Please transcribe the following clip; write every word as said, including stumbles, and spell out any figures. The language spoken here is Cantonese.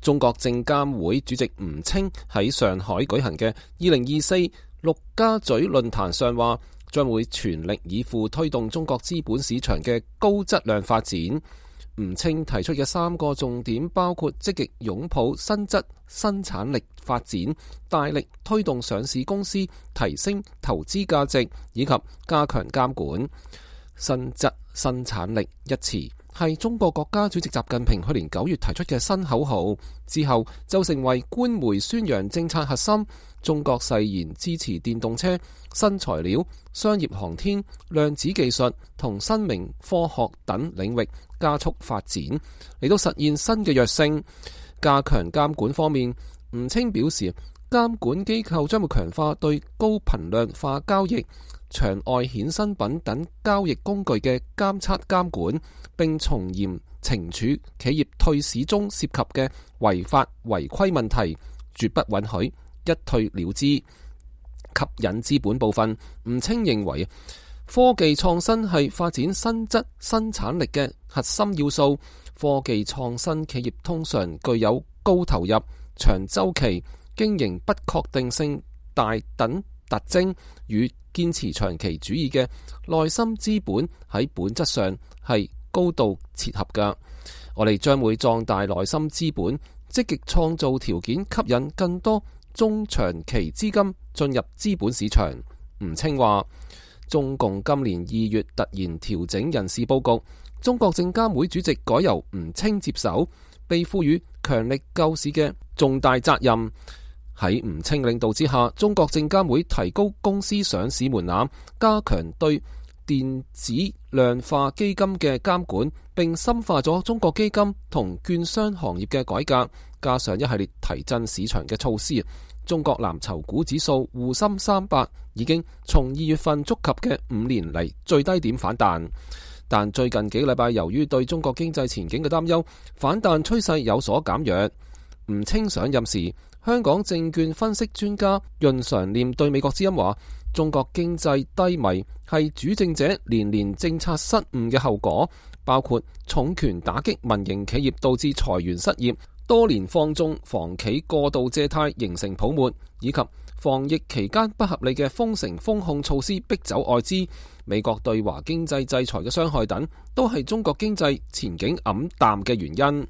中國證監會主席吳清喺上海舉行嘅二零二四陸家嘴論壇上話，將會全力以赴推動中國資本市場嘅高質量發展。吳清提出嘅三個重點包括積極擁抱新質生產力發展，大力推動上市公司提升投資價值，以及加強監管。新質生產力一詞係中國國家主席習近平去年九月提出嘅新口號，之後就成為官媒宣揚政策核心。中國誓言支持電動車、新材料、商業航天、量子技術同生命科學等領域加速發展，嚟到實現新嘅躍升。加強監管方面，吳清表示，監管機構將會強化對高頻量化交易、場外衍生品等交易工具嘅監測監管，並從嚴懲處企業退市中涉及嘅違法違規問題，絕不允許一退了之。吸引資本部分，吳清認為科技創新係發展新質生產力嘅核心要素。科技創新企業通常具有高投入、長周期、經營不確定性大等特徵，與堅持長期主義嘅內心資本喺本質上係高度切合㗎。我哋將會壯大內心資本，積極創造條件，吸引更多中長期資金進入資本市場。吳清話，中共今年二月突然調整人事佈局，中國證監會主席改由吳清接手，被賦予強力救市嘅重大責任。喺吳清領導之下，中國證監會提高公司上市門檻，加強對電子量化基金嘅監管，並深化咗中國基金同券商行業嘅改革，加上一系列提振市場嘅措施。中國藍籌股指數滬深三百已經從二月份觸及嘅五年嚟最低點反彈，但最近幾個禮拜由於對中國經濟前景嘅擔憂，反彈趨勢有所減弱。吳清上任時，香港證券分析專家潤常念對美國之音話，中國經濟低迷係主政者連連政策失誤嘅後果，包括重拳打擊民營企業導致裁員失業，多年放縱房企過度借貸形成泡沫，以及防疫期間不合理嘅封城封控措施逼走外資，美國對華經濟制裁嘅傷害等，都係中國經濟前景黯淡嘅原因。